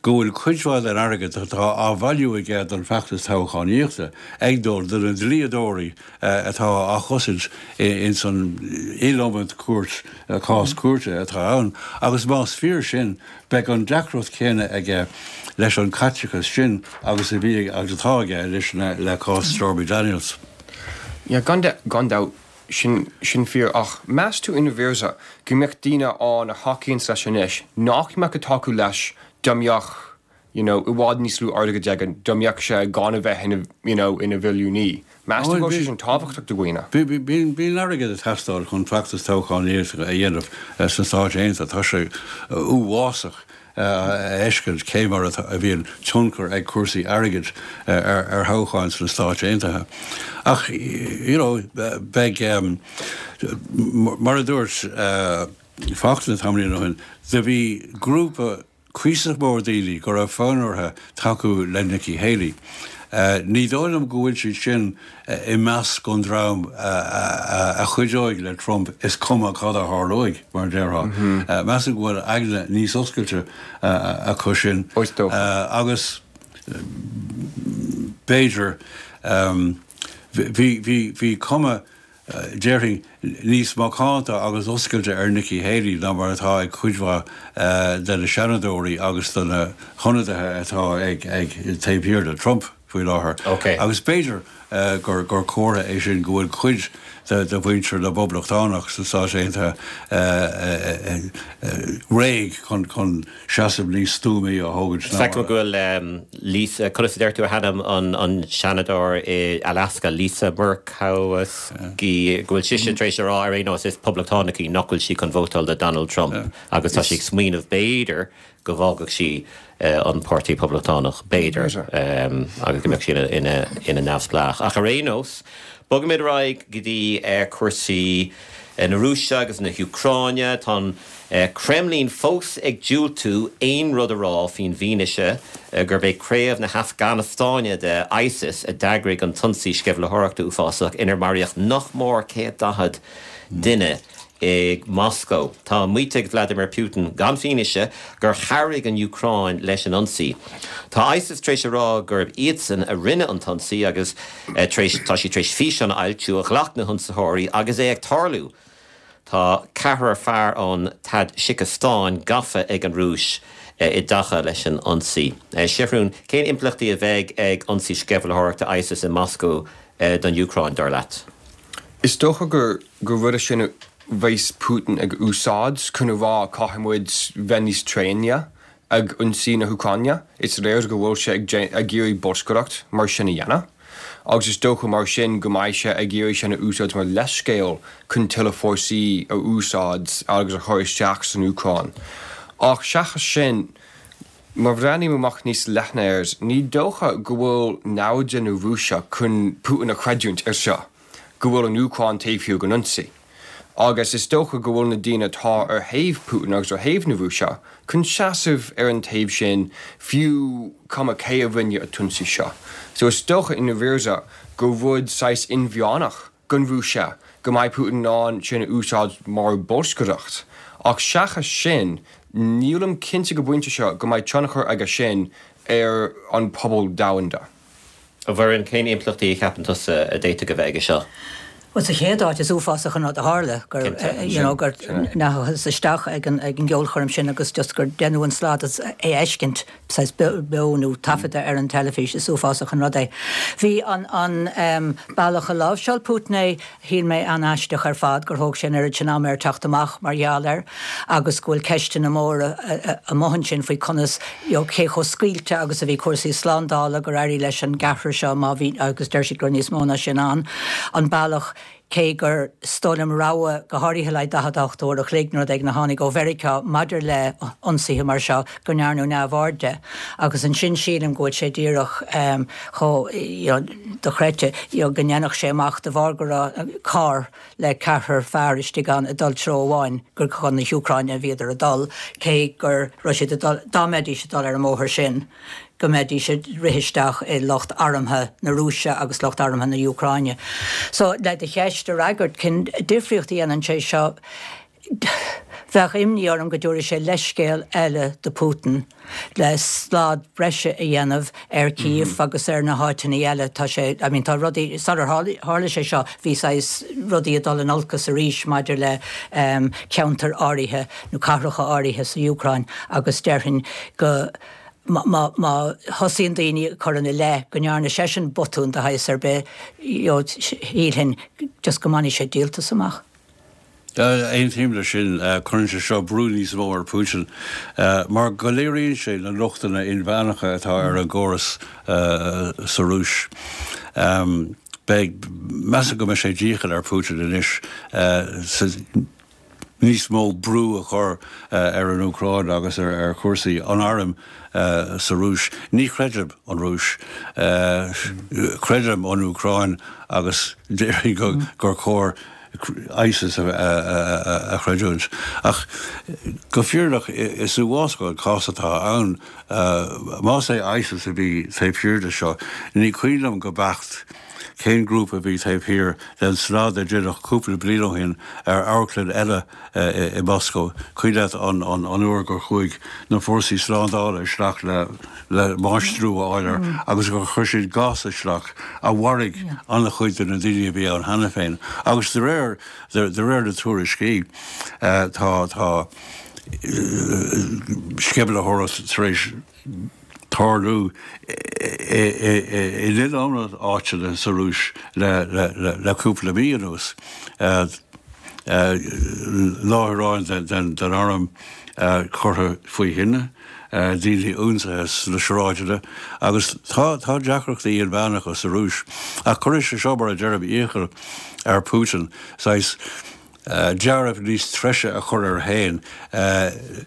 go bhfuil cuid mhaith den airgead atá á bhailiú aige don bhfeachtas toghchánaíochta ag dul do na dlíodóirí atá á chosaint ins an iliomad cúirt, cás cúirte atá ann agus más fíor sin beidh an deacracht chéanna aige leis an caiteachas sin agus a bhí agus atá aige leis na le cás Stormy Daniels. Yeah, gan gan dabht sin sin fíor ach meas tú i ndáiríre go mbeadh daoine ann a thacaíonns leis anois nach mbeadh ag tacú leis dá mbeadh you know i bhfad níos lú airgid aige, dá mbeadh sé gan a bheith ina you know ina bhilliúnaí. Meas tú go bhfuil sé sin tábhachtach do dhaoine? Bíonn bíonn airgead ag teastáil chun feachtas toghchánaíochta a dhéanamh sna Stáit Aontaithe. Tá sé uafásach a fheiscint cé mar a bhíonn tionchar ag cúrsaí airgid ar thoghcháin sna Stáit Aontaithe. Ach you know beidh mar a dúirt Fachtna tamaillín ó shin, do bhí grúpa cuíosach mór daoine go raibh fonn orthu tacú le Nikki Haley. Ní dóigh liom go bhfuil siad sin i measc an dream a chuideoidh le Trump is cuma cad a tharlóidh, mar a déarfá. Measaim go bhfuil aigne níos oscailte acu sin agus b'fhéidir Bhí bhí bhí cuma déarfainn níos macánta agus oscailte ar Nikki Haley ná mar atá ag cuid mhaith de na seanadóirí agus de na hionadaithe atá ag ag taobh thiar de Trump faoi láthair. Okay. Agus b'fhéidir gur gur comhartha é sin go bhfuil cuid de de mhuintir na bPoblachtánach sna Stáit Aontaithe réidh chun chun seasamh níos stuamaí a thógaint ná Feicim go bhfuil Lisa, conas a deir tú a hainm an an seanadóir i Alaska, Lisa Murkowski, go bhfuil sise tar éis a rá ar aon nós is poblachtánach í nach bhfuil sí chun vótáil do Donald Trump agus tá sí ag smaoineamh b'fhéidir go bhfágfadh sí an Páirtí Poblachtánach b'fhéidir agus go mbeadh sí ina ina neamhspleách. Ach ar aon nós, Bogaimid ar aghaidh go dtí cúrsaí na Rúise agus na hÚcráine, Tá an Kremlin fós ag diúltú aon rud a rá faoin bhfianaise gurb é craobh na hAfganastáine de ISIS a d'eagraigh an t-ionsaí sceimhlitheoireachta uafásach inar maraíodh nach mór céad daichead duine i Moscow. Tá maíte ag Vladimir Putin gan fianaise gur chabhraigh an Úcráin leis an ionsaí. Tá ISIS tar éis a rá gurb iadsan a rinne an t-ionsaí agus eh, tá sí tar éis físeán a fhoilsiú a ghlac na hionsaitheoirí agus é ag tarlú. Tá ceathrar fear ón Tadsicastáin gafa ag an Rúis eh, i dtaca leis an ionsaí. Eh, Seathrún, cén impleachtaí a bheidh ag ionsaí sceimhlitheoireachta ISIS i Moscow don Úcráin dar leat? Is dócha gur gur rud sin bheas Putin ag úsáid chun a rá caithfidh muid bheith níos tréine ag ionsaí na hÚcráine, Is léir go bhfuil sé ag iarraidh bolscaireacht mar sin a dhéanamh. Agus is dócha mar sin go mbeidh sé ag iarraidh sin a úsáid mar leithscéal chun tuilleadh fórsaí a úsáid agus a chur isteach san Úcráin. Ach seachas sin, Má bhreathnaím amach níos leithne air, ní dócha go bhfuil naimhde na Rúise chun Putin a chreidiúint ar seo, go bhfuil an Úcráin taobh thiar den ionsaí. Agus is dócha go bhfuil na daoine atá ar thaobh Putin agus ar thaobh na Rúise chun seasamh ar an taobh sin fiú cuma cé a rinne an t-ionsaí seo. So is dócha i ndáiríre go rud saghas inmheánach don Rúis go mbeidh Putin an sin a úsáid mar bolscaireacht. Ach seachas sin, nílim cinnte go bpointe seo go mbeidh tionchar aige sin ar an pobal domhanda. A Mhuireann cén impleachtaí a cheapann tusa a d'fhéadfadh a bheith aige seo. Well sa chéad áit is uafásach an rud a tharla gur you know, gur ndeachthas isteach ag an ag an gceolchoirm sin agus just gur déanadh an slad é a fheiscint beo nó taifeadta ar an teilifís is uafásach an rud é. Bhí an an um, bealach a láimhseáil Putin é shíl mé an-aisteach ar fad gur thóg sin ar sin am air teacht amach mar gheall air agus go bhfuil ceisteanna móra amuigh ansin faoi conas cé chomh scaoilte agus a bhí cúrsaí slándála gur éirigh leis an gceathrar seo má bhí agus deir siad gur níos mó ná sin an an bealach cé gur stolam rah go háirithe le daichead a hocht uair a chloig nó ag na tháinig ó Mheiriceá maidir le ionsaithe mar seo go ndearnadh neamhaird de. agus ansin sílim go bhfuil sé díreach um, chomh dochreidte go ndéanfadh sé amach de bharr go raibh carr le ceathrar fear istigh ann ag dul treo amháin gur chun na hÚcráine a bhíodar ag dul cé gur raibh siad dá mbeidís ag dul ar an mbóthar sin. go mbeidís ag rith isteach i lucht armtha na Rúise agus lucht armtha na hÚcráine. So le do cheist a fhreagairt cén difríocht a dhéanann sé seo bheadh imní orm go dtabharfaidh sé leithscéal eile do Putin le slad breise a dhéanamh ar Kiev mm -hmm. agus ar na háiteanna eile tá sé I mean, tá rudaí sular tharla sé seo bhí rudaí ag dul in olcas arís maidir le um, ceantair áirithe nó cathracha áirithe sa Úcráin agus déarfainn go má má thosaíonn daoine chur ina leith go ndearna seisean botún de shaghas ar bith shílfinn just go mbainfidh sé díoltas amach. Aontaím leis sin cuireann sé seo brú níos mó ar Putin, mar go léiríonn sé na lochtanna inmheánacha atá ar an gcóras sa Rúis. Beidh measaim go mbeidh sé dícheall ar Putin anois níos mó brú a chur ar an Úcráin agus ar ar chúrsaí an airm sa Rúis. Ní chreidim an Rúis creidim an Úcráin agus déarfainn gur chóir ISIS a, a, a chreidiúint. Ach go fírinneach is uafásach an cás atá ann más é ISIS a bhí taobh thiar de seo, ní cuimhin liom go beacht cén grúpa a bhí taobh thiar den slad a deineadh cúpla bliain ó shin ar amharclann eile i Moscó. Cuimhin leat an an uair gur chuaigh na fórsaí slándála isteach le le máistriú a fháil air agus gur chuir siad gás isteach a mharaigh an-chuid de na daoine a bhí ann cheana féin. Agus de réir de réir na tuairiscí tá tá sceimhlitheoireacht tar éis tarlú in iliomad áiteanna sa Rúis le cúpla mí anuas. Láithreáin den arm curtha faoi thine, daoine ionsaithe sna sráideanna agus tá deacrachtaí inmheánacha sa Rúis. Ach cuirfidh sé seo, mar a deirim, iachall ar Putin saghas dealramh níos treise a chur air féin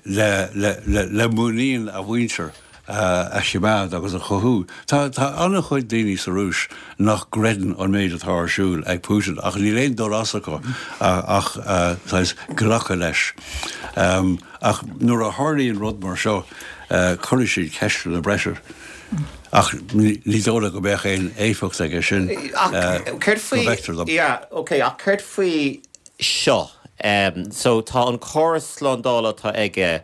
le muinín a mhuintir a choimeád agus a chothú. Tá an-chuid daoine sa Rúis nach gcreideann an méid atá ar siúl ag Putin ach níl aon dul as acu ach saghas glacadh leis. Ach nuair a tharlaíonn rud mar seo cuirfidh siad ceisteanna breise. Ach ní dóigh liom go mbeadh aon éifeacht aige sin, go bhfeictear dom. Yeah, ok, ach céard faoi seo? So tá an córas slándála atá aige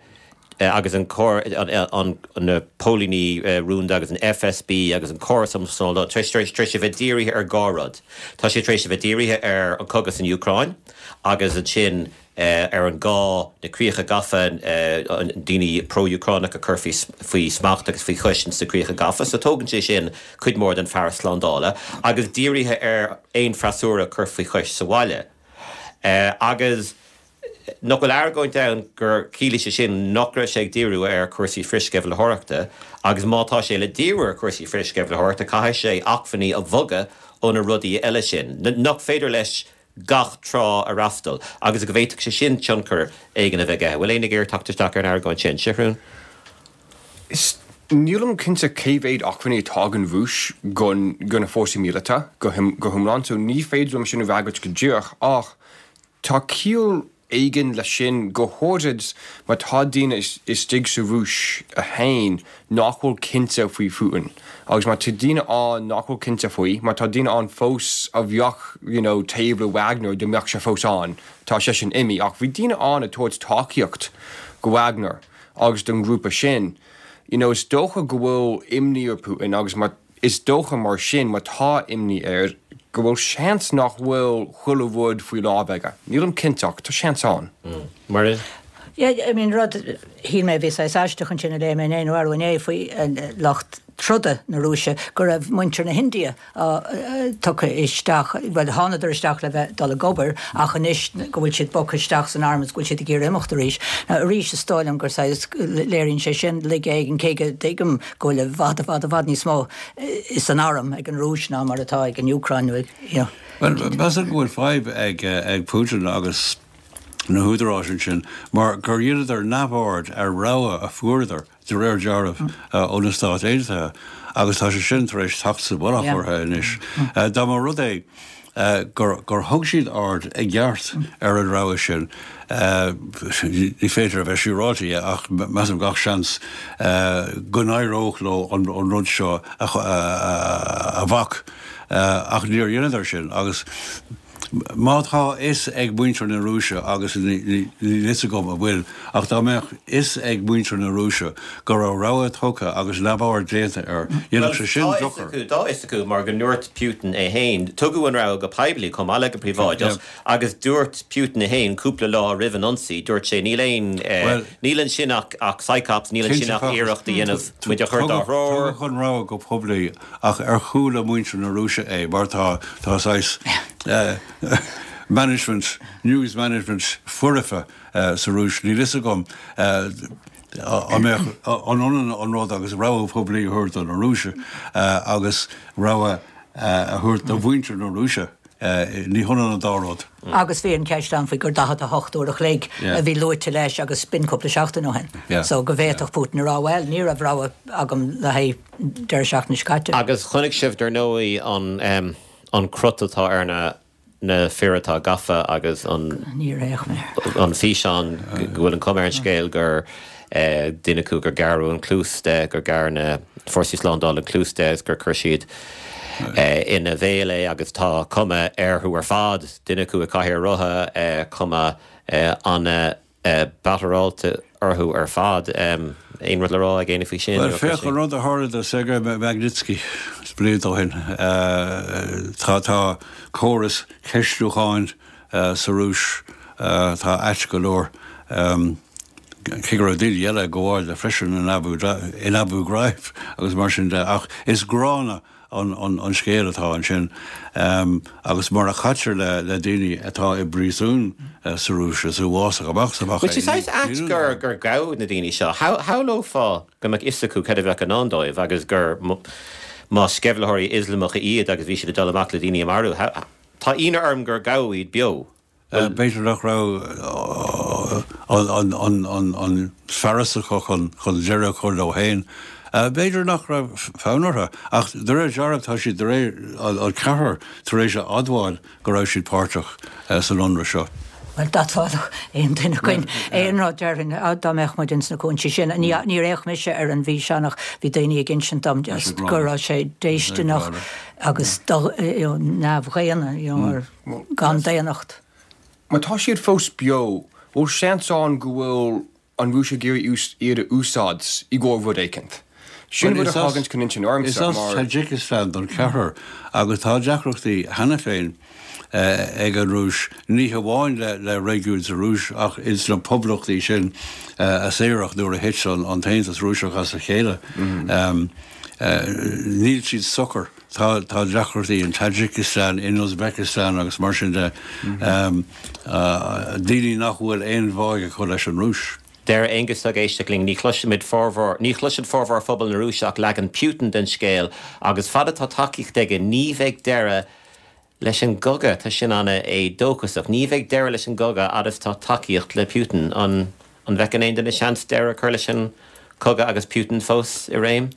agus an an na póilíní rúnda agus an FSB agus an córas um slándála tar éis tar éis a bheith dírithe ar dhá rud. Tá sé tar éis a bheith dírithe ar an cogadh san Úcráin agus ansin ar an gá na críocha gafa, daoine pro-Úcránach a chur faoi smacht agus faoi chois ins na críocha gafa. So tógann sé sin cuid mhór den fearas slándála agus dírithe ar aon freasúra a chur faoi chois sa bhaile. Agus nach bhfuil argóint ann gur chiallaigh sé sin nach raibh sé ag díriú ar chúrsaí frithsceimhlitheoireachta agus má tá sé le díriú ar chúrsaí frithsceimhlitheoireachta caithfidh sé acmhainní a bhogadh ó na rudaí eile sin. Nach féidir leis gach trá a fhreastal agus go bhféadfadh sé sin tionchar éigin a bheith aige. Bhfuil éinne ag iarraidh teacht isteach ar an argóint sin? Seathrún? Is nílim cinnte cé mhéad acmhainní atá ag an Rúis do na fórsaí míleata go hiomlán, so ní féidir liom sin a fhreagairt go díreach ach tá ciall éigin leis sin, go háirid má tá daoine istigh sa Rúis féin nach bhfuil cinnte faoi Phutin. Agus má tá daoine ann nach bhfuil cinnte faoi, má tá daoine ann fós a bheadh you know taobh le Wagner dá mbeadh sé fós ann, tá seisean imithe, ach bhí daoine ann ag tabhairt tacaíocht go Wagner agus don ghrúpa sin. You know is dócha go bhfuil imní ar Putin agus má Is dócha mar sin, má tá imní air, go bhfuil seans nach bhfuil chuile rud faoi láimh aige. Nílim cinnte ach tá seans ann. Muireann? Yeah, I mean, rud, shíl mé a bhí saghas aisteach ansin a léigh mé inné nó arú inné faoi lucht troda na Rúise, go raibh muintir na hIndia tugtha isteach, bhuel, thánadar isteach le bheith dul ag obair ach anois go bhfuil siad bogtha isteach san arm is go bhfuil siad ag iarraidh imeacht arís. Now, arís is dóigh liom gur saghas, léiríonn sé sin laige éigin, cé go dtuigim go bhfuil i bhfad, i bhfad, i bhfad níos mó san arm ag an Rúis ná mar atá ag an Úcráin nó ag, you know. Bhuel, measaim go bhfuil fadhb ag, ag Putin agus na húdaráis ansin mar gur dheineadar neamhaird ar rabhadh a fuaireadar de réir dealraimh ó na Stáit Aontaithe agus tá sé sin tar éis teacht sa mhullach orthu anois. Dá mba rud é gur thug siad aird i gceart ar an rabhadh sin, ní féidir a bheith siúráilte dhe ach measaim gach seans go n-éireodh leo an rud seo a bhac. Ach níor dheineadar sin agus Má tá fhios ag muintir na Rúise, agus níl fhios agam an bhfuil, ach dá mbeadh fhios ag muintir na Rúise go raibh rabhadh tugtha agus neamhaird déanta air, dhéanfadh sé sin dochar. Tá fhios acu mar go ndúirt Putin é féin, tugadh an rabhadh go poiblí chomh maith le go príobháideach, agus dúirt Putin é féin cúpla lá roimh an ionsaí, dúirt sé níl aon, níl ansin ach psyops, níl ansin ach iarracht a dhéanamh muid a chur dár dtreoir. Tugadh an rabhadh go poiblí ach ar chuala muintir na Rúise é mar tá saghas management, news management foirfe sa Rúis. Níl fhios agam an mbeadh, an ionann an rud agus rabhadh poiblí a thabhairt do na Rúisigh agus rabhadh a thabhairt do mhuintir na Rúise. Ní hionann an dá rud. Agus bhí an cheist ann faoi gur daichead a hocht uair a chloig a bhí luaite leis agus b'in cúpla seachtain ó shin. So go bhféadfadh Putin a rá, bhuel, ní raibh rabhadh agam le haghaidh deireadh seachtaine seo caite. Agus chonaic sibh, dar ndóigh, an an crot atá ar na na fir atá gafa agus an Níor fhéach mé air. an físeán go bhfuil an chuma ar an scéal gur duine acu gur gearradh an cluas de, gur ghearr na fórsaí slándála an cluas de agus gur chuir siad ina bhéal é agus tá cuma orthu ar fad, duine acu i gcathaoir rotha, cuma an-batteráilte orthu ar fad. Aon rud le rá ag éinne faoi sin? Bhuel, féach an rud a tharla do Sergei Magnitsky blianta ó shin. Tá tá córas ceistiúcháin sa Rúis, tá ait go leor. Cé go raibh daoine eile ag gabháil de freisin in Abu in Abu Ghraib agus mar sin de, ach is gránna an an scéal atá ansin agus mar a chaitear le le daoine atá i bpríosún sa Rúis is uafásach amach is amach é. Bhuel, is ait gur gur gabhadh na daoine seo. Shamhlófá go mbeadh fhios acu cad a bheadh i ndán dóibh agus gur má sceimhlitheoirí Ioslamacha iad agus bhí siad ag dul amach le daoine a mharú. Tá ionadh orm gur gabhadh iad beo. B'fhéidir nach raibh an fearas acu chun deireadh a chur leo féin. B'fhéidir nach raibh fonn orthu, ach de réir dealraimh tá siad de réir an ceathrar tar éis a admháil go raibh siad páirteach san ionradh seo. Bhuel, d'admhódh aon duine againn aon rud, déarfainn, dá mbeadh muid ins na cúinsí sin. Níor fhéach mise ar an bhfíseán ach bhí daoine ag insint dom just go raibh sé déistineach agus neamhdhaonna, you know, gan daonnacht. Má tá siad fós beo, bhfuil seans ann go bhfuil an Rúis ag iarraidh iad a úsáid i gcomhair rud éicint? Sin rud a thagann chun intinn ormsa Is as mar. Tajikistan don cheathrar agus tá deacrachtaí cheana féin ag an Rúis, ní hamháin le réigiúin sa Rúis ach ins na poblachtaí sin a saoradh nuair a thit an tAontas Rúiseach as a chéile. Níl siad socair. Tá deacrachtaí in Tajikistan, in Uzbekistan agus mar sin de, daoine nach bhfuil aon bháidh acu leis an Rúis. Deir Aengus ag éisteacht linn, ní chloisimid formhór, ní chloiseann formhór phobal na Rúise ach leagan Putin den scéal agus fad atá tacaíocht aige ní bheidh deireadh leis an gcogadh. Tá sin an-éadóchasach. Ní bheidh deireadh leis an gcogadh fhad is tá tacaíocht le Putin. An bhfeiceann aon duine seans deireadh a chur leis an gcogadh agus Putin fós i réim?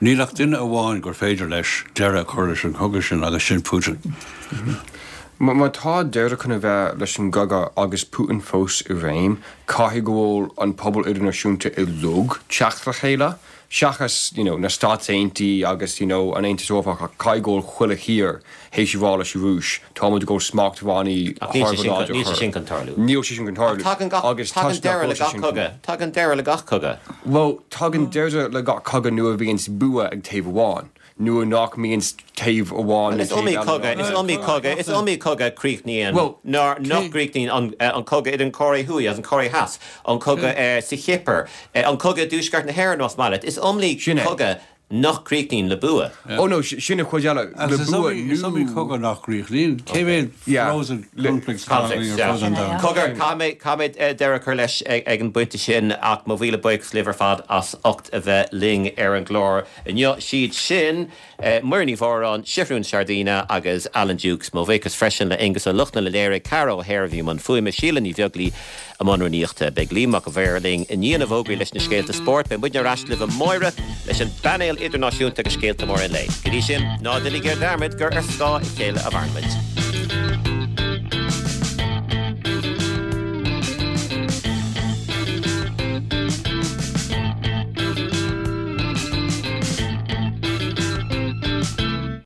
Níl ach duine amháin gur féidir leis deireadh a chur leis an gcogadh sin agus sin Putin. Má tá deireadh chun a bheith leis an gcogadh agus Putin fós i réim, caithfidh go bhfuil an pobal idirnáisiúnta uilig teacht le chéile, seachas you know na Stáit Aontaithe agus you know an Aontas Eorpach ach caithfidh go bhfuil chuile thír théis a rá leis an Rúis, tá muid ag dul smachtbhannaí Ach níl sé sin chun, níl sé sin chun tarlú. Níl sé sin chun tarlú. Ach tagann gach, Agus tagann toisc nach deireadh le bhfuil sé gach sin chun. cogadh. Tagann deireadh le gach cogadh. Bhuel, tagann deireadh le gach cogadh nuair a bhíonns bua ag taobh amháin, nuair nach mbíonns taobh amháin Bhuel, nó is taobh iomaí eile cogadh, in is ann. iomaí cogadh, is iomaí cogadh a chríochnaíonn, Bhuel, nár, nach cé. gcríochnaíonn an, an cogadh idir an Chóiré Thuaidh agus an Chóiré Theas, an cogadh sa Chipir, an cogadh i dTuaisceart na hÉireann, más maith leat. Is iomaí Sin é. cogadh nach gcríochnaíonn le bua. Oh no, sin an chuid eile, le Agus is bua iomaí, is iomaí nó. cogadh nach gcríochnaíonn. Cé mhéad Yeah, frozen le. conflicts atá Conflicts, againn ar yeah. fud an Sin é, domhain? yeah. Cogar, caithfidh mé, caithfidh mé deireadh a chur leis ag, ag an bpointe sin ach mo mhíle buíochas libh ar fad as ucht a bheith linn ar an gclár inniu. Siad sin, Muireann Ní Mhóráin, Seathrún Sardina agus Alan Dukes. Mo bhuíochas freisin le Aengus Ó Lochlainn a léirigh, Ceara O'Hare a bhí i mbun fuaime, Síle Ní Bheaglaoi i mbun rúnaíochta. Beidh Liam Mac an Mhaoir linn i ndiaidh na bhfógraí leis na scéalta spóirt. Beidh muidne ar ais libh amáireach leis an bpainéal idirnáisiúnta agus scéalta móra an lae. Go dtí sin, ná déanaigí dearmad gur ar scáth a chéile a mhaireann muid.